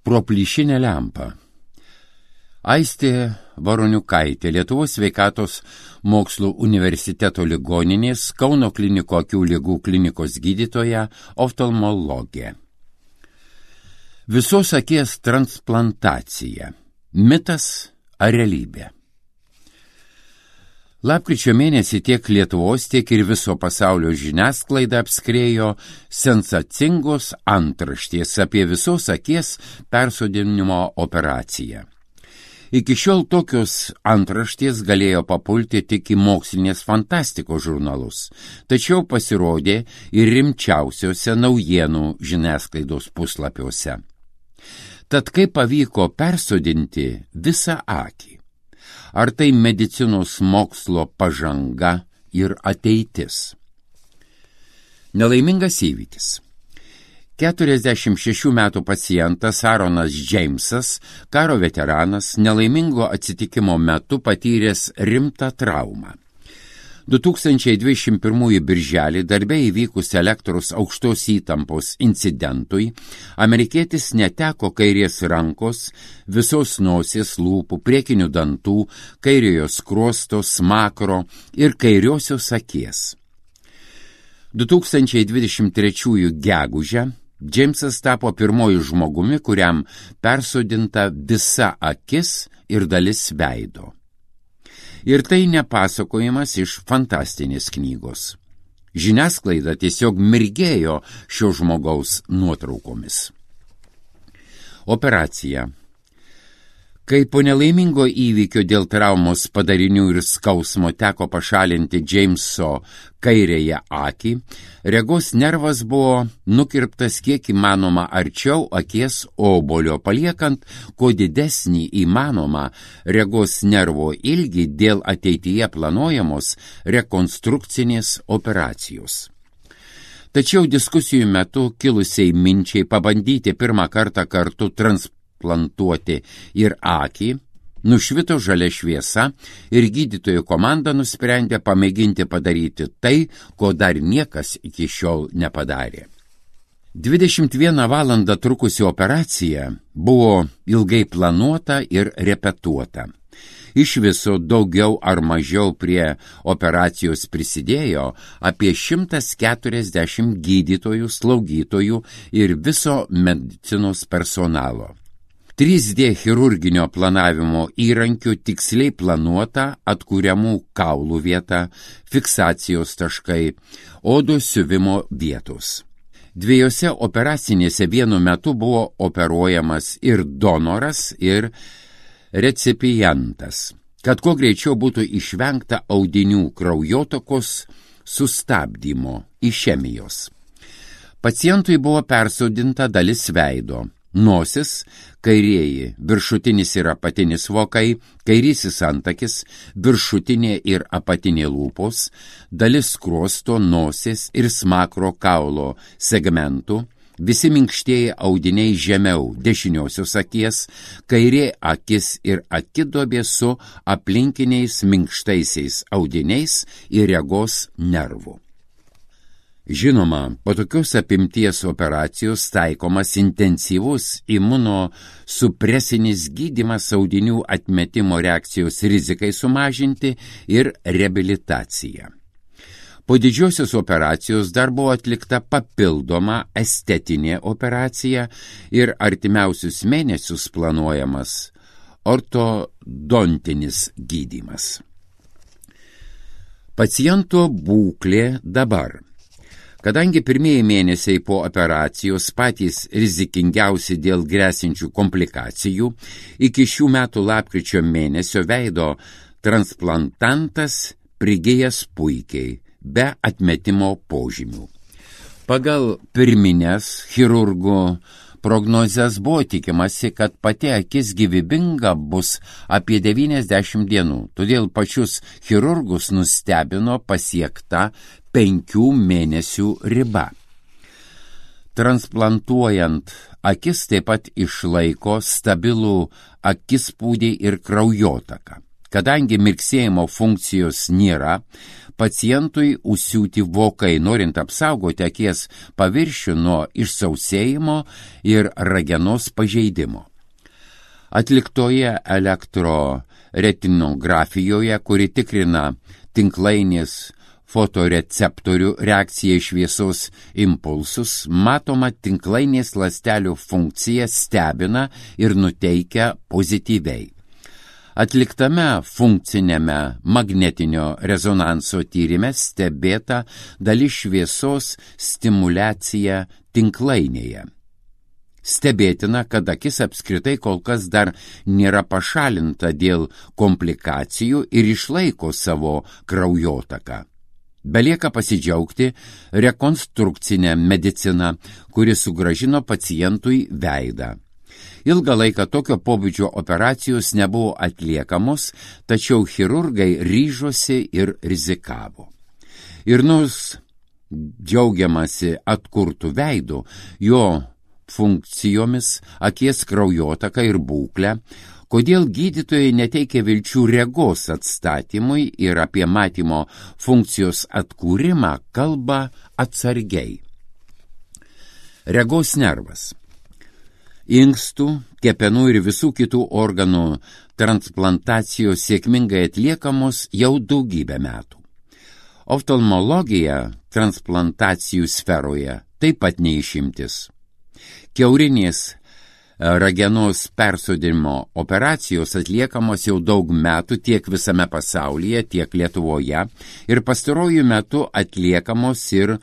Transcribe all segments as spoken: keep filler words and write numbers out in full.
pro plyšinę lempą. Aistė Varoniukaitė, Lietuvos sveikatos mokslų universiteto ligoninės Kauno kliniko akių ligų klinikos gydytoja, oftalmologė. Visos akies transplantacija. Mitas ar realybė? Lapkričio mėnesį tiek Lietuvos, tiek ir viso pasaulio žiniasklaida apskriejo sensacingos antraštės apie visos akies persodinimo operaciją. Iki šiol tokios antraštės galėjo papulti tik į mokslinės fantastikos žurnalus, tačiau pasirodė ir rimčiausiuose naujienų žiniasklaidos puslapiuose. Tad kaip pavyko persodinti visą akį? Ar tai medicinos mokslo pažanga ir ateitis? Nelaimingas įvykis. keturiasdešimt šešių metų pacientas Aaronas Džeimsas, karo veteranas, nelaimingo atsitikimo metu patyręs rimtą traumą. du tūkstančiai dvidešimt pirmųjų birželį darbe įvykus elektros aukštos įtampos incidentui, amerikietis neteko kairės rankos, visos nosies, lūpų, priekinių dantų, kairiojo skruosto, smakro ir kairiosios akies. du tūkstančiai dvidešimt trečiųjų gegužę Džeimsas tapo pirmoju žmogumi, kuriam persodinta visa akis ir dalis veido. Ir tai nepasakojimas iš fantastinės knygos. Žiniasklaida tiesiog mirgėjo šio žmogaus nuotraukomis. Operacija. Kai po nelaimingo įvykio dėl traumos padarinių ir skausmo teko pašalinti Džeimso kairėje akį, regos nervas buvo nukirptas kiek įmanoma arčiau akies obolio, paliekant kuo didesnį įmanomą regos nervo ilgį dėl ateityje planuojamos rekonstrukcinės operacijos. Tačiau diskusijų metu kilusiai minčiai pabandyti pirmą kartą kartu transplantuoti plantuoti ir akį, nušvito žalia šviesa ir gydytojų komanda nusprendė pamėginti padaryti tai, ko dar niekas iki šiol nepadarė. dvidešimt vieną valandą trukusi operacija buvo ilgai planuota ir repetuota. Iš viso daugiau ar mažiau prie operacijos prisidėjo apie šimtas keturiasdešimt gydytojų, slaugytojų ir viso medicinos personalo. trys D chirurginio planavimo įrankių tiksliai planuota atkuriamų kaulų vieta, fiksacijos taškai, odos siuvimo vietos. Dviejose operacinėse vienu metu buvo operuojamas ir donoras, ir recipientas, kad kuo greičiau būtų išvengta audinių kraujotakos sustabdymo, išemijos. Pacientui buvo persodinta dalis veido. Nosis, kairieji, viršutinis ir apatinis vokai, kairysis antakis, viršutinė ir apatinė lūpos, dalis skruosto, nosies ir smakro kaulo segmentų, visi minkštieji audiniai žemiau dešiniosios akies, kairė akis ir akidobė su aplinkiniais minkštaisiais audiniais ir regos nervų. Žinoma, po tokios apimties operacijos taikomas intensyvus imunosupresinis gydymas audinių atmetimo reakcijos rizikai sumažinti ir reabilitacija. Po didžiosios operacijos dar buvo atlikta papildoma estetinė operacija ir artimiausius mėnesius planuojamas ortodontinis gydymas. Paciento būklė dabar. Kadangi pirmieji mėnesiai po operacijos patys rizikingiausi dėl grėsinčių komplikacijų, iki šių metų lapkričio mėnesio veido transplantantas prigijęs puikiai, be atmetimo požymių. Pagal pirminės chirurgų prognozes buvo tikimasi, kad pati akis gyvybinga bus apie devyniasdešimt dienų, todėl pačius chirurgus nustebino pasiekta penkių mėnesių riba. Transplantuojant akis taip pat išlaiko stabilų akispūdį ir kraujotaką. Kadangi mirksėjimo funkcijos nėra, pacientui užsiūti vokai, norint apsaugoti akies paviršių nuo išsausėjimo ir ragenos pažeidimo. Atliktoje elektroretinografijoje, kuri tikrina tinklainės fotoreceptorių reakcija į šviesos impulsus, matoma tinklainės ląstelių funkcija stebina ir nuteikia pozityviai. Atliktame funkcinėme magnetinio rezonanso tyrime stebėta dalis šviesos stimuliacija tinklainėje. Stebėtina, kad akis apskritai kol kas dar nėra pašalinta dėl komplikacijų ir išlaiko savo kraujotaką. Belieka pasidžiaugti rekonstrukcinę mediciną, kuri sugrąžino pacientui veidą. Ilgą laiką tokio pobūdžio operacijos nebuvo atliekamos, tačiau chirurgai ryžosi ir rizikavo. Ir nors džiaugiamasi atkurtų veidų, jo funkcijomis, akies kraujotaka ir būklę, kodėl gydytojai neteikia vilčių regos atstatymui ir apie matymo funkcijos atkūrimą kalba atsargiai. Regos nervas. Inkstų, kepenų ir visų kitų organų transplantacijos sėkmingai atliekamos jau daugybę metų. Oftalmologija transplantacijų sferoje taip pat neišimtis. Kiaurinės ragenos persodinimo operacijos atliekamos jau daug metų tiek visame pasaulyje, tiek Lietuvoje ir pastaruoju metu atliekamos ir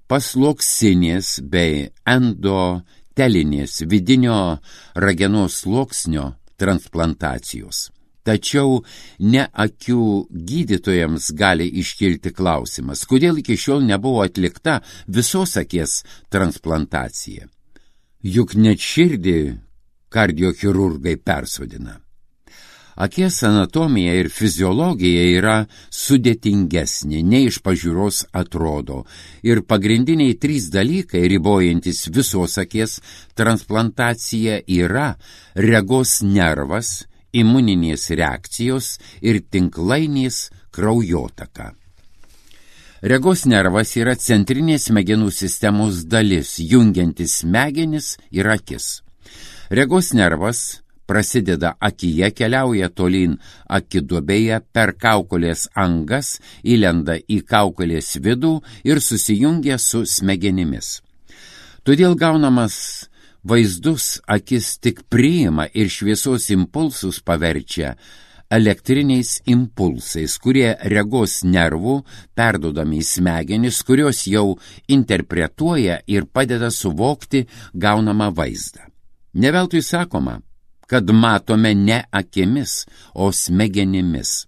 pasloksinės bei endotelinės vidinio ragenos sluoksnio transplantacijos. Tačiau ne akių gydytojams gali iškilti klausimas, kodėl iki šiol nebuvo atlikta visos akies transplantacija. Juk net širdį kardiochirurgai persodina. Akies anatomija ir fiziologija yra sudėtingesnė, nei iš pažiūros atrodo, ir pagrindiniai trys dalykai, ribojantis visos akies transplantaciją, yra regos nervas, imuninės reakcijos ir tinklainės kraujotaka. Regos nervas yra centrinės smegenų sistemos dalis, jungiantis smegenis ir akis. Regos nervas prasideda akyje, keliauja tolyn akiduobėje per kaukolės angas, įlenda į kaukolės vidų ir susijungia su smegenimis. Todėl gaunamas vaizdus akis tik priima ir šviesos impulsus paverčia elektriniais impulsais, kurie regos nervų perduodami į smegenis, kurios jau interpretuoja ir padeda suvokti gaunamą vaizdą. Ne veltui sakoma, kad matome ne akimis, o smegenimis.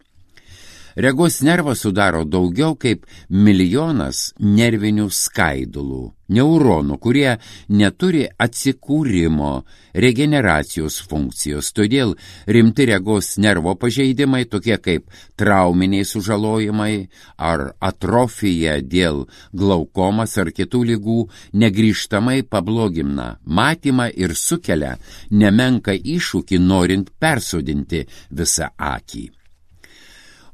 Regos nervas sudaro daugiau kaip milijonas nervinių skaidulų, neuronų, kurie neturi atsikūrimo, regeneracijos funkcijos. Todėl rimti regos nervo pažeidimai, tokie kaip trauminiai sužalojimai ar atrofija dėl glaukomas ar kitų ligų, negrįžtamai pablogina matymą ir sukelia nemenką iššūkį norint persodinti visą akį.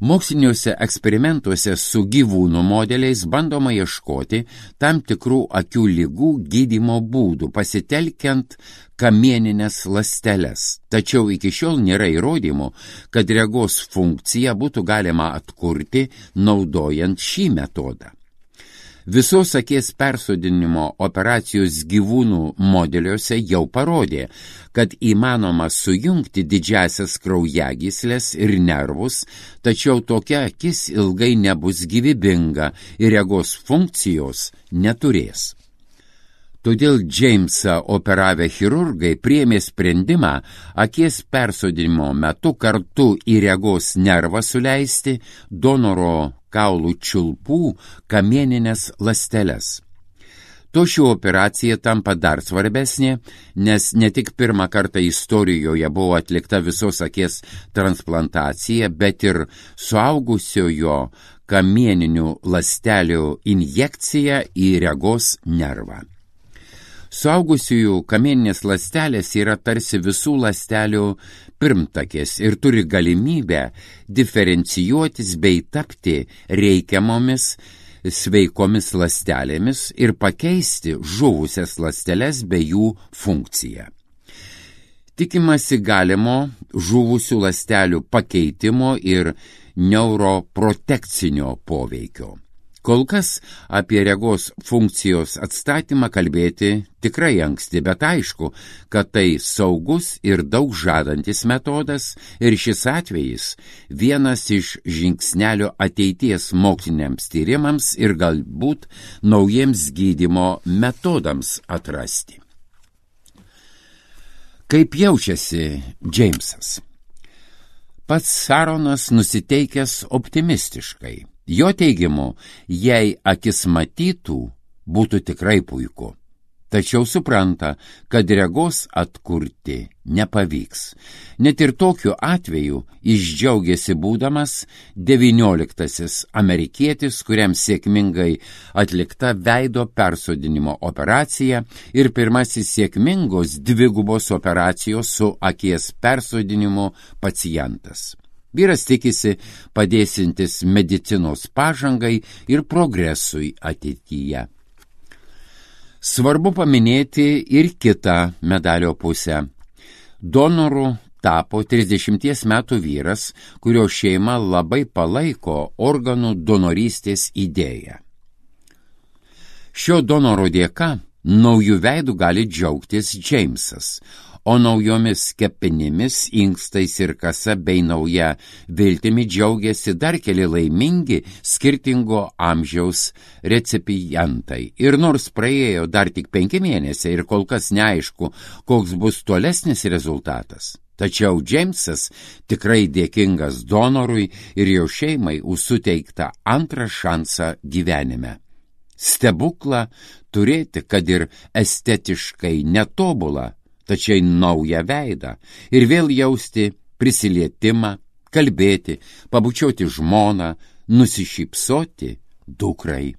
Moksliniuose eksperimentuose su gyvūnų modeliais bandoma ieškoti tam tikrų akių ligų gydymo būdų, pasitelkiant kamieninės ląsteles. Tačiau iki šiol nėra įrodymų, kad regos funkciją būtų galima atkurti naudojant šį metodą. Visos akies persodinimo operacijos gyvūnų modeliuose jau parodė, kad įmanoma sujungti didžiasias kraujagyslės ir nervus, tačiau tokia akis ilgai nebus gyvybinga ir regos funkcijos neturės. Todėl Džeimsą operavę chirurgai priėmė sprendimą akies persodinimo metu kartu į regos nervą suleisti donoro kaulų čiulpų kamieninės ląsteles. To ši operacija tampa dar svarbesnė, nes ne tik pirmą kartą istorijoje buvo atlikta visos akies transplantacija, bet ir suaugusiojo kamieninių ląstelių injekcija į regos nervą. Suaugusiųjų kamieninės ląstelės yra tarsi visų ląstelių pirmtakės ir turi galimybę diferencijuotis bei tapti reikiamomis sveikomis ląstelėmis ir pakeisti žuvusias ląsteles bei jų funkciją. Tikimasi galimo žuvusių ląstelių pakeitimo ir neuroprotekcinio poveikio. Kol kas apie regos funkcijos atstatymą kalbėti tikrai anksti, bet aišku, kad tai saugus ir daug žadantis metodas ir šis atvejis vienas iš žingsnelio ateities moksliniams tyrimams ir galbūt naujiems gydymo metodams atrasti. Kaip jaučiasi Džeimsas? Pats Aaronas nusiteikęs optimistiškai. Jo teigimu, jei akis matytų, būtų tikrai puiku. Tačiau supranta, kad regos atkurti nepavyks. Net ir tokiu atveju jis džiaugiasi būdamas devynioliktasis amerikietis, kuriam sėkmingai atlikta veido persodinimo operacija ir pirmasis sėkmingos dvigubos operacijos su akies persodinimu pacientas. Vyras tikisi padėsintis medicinos pažangai ir progresui ateityje. Svarbu paminėti ir kitą medalio pusę. Donoru tapo trisdešimties metų vyras, kurio šeima labai palaiko organų donorystės idėją. Šio donoro dėka naujų veidų gali džiaugtis Džeimsas, o naujomis kepenimis, inkstais ir kasa bei nauja viltimi džiaugiasi dar keli laimingi skirtingo amžiaus recipientai. Ir nors praėjo dar tik penki mėnesiai ir kol kas neaišku, koks bus tolesnis rezultatas, tačiau Džeimsas tikrai dėkingas donorui ir jo šeimai už suteiktą antrą šansą gyvenime. Stebuklą turėti, kad ir estetiškai netobulą, tačiau naują veidą ir vėl jausti prisilietimą, kalbėti, pabučiuoti žmoną, nusišypsoti dukrai.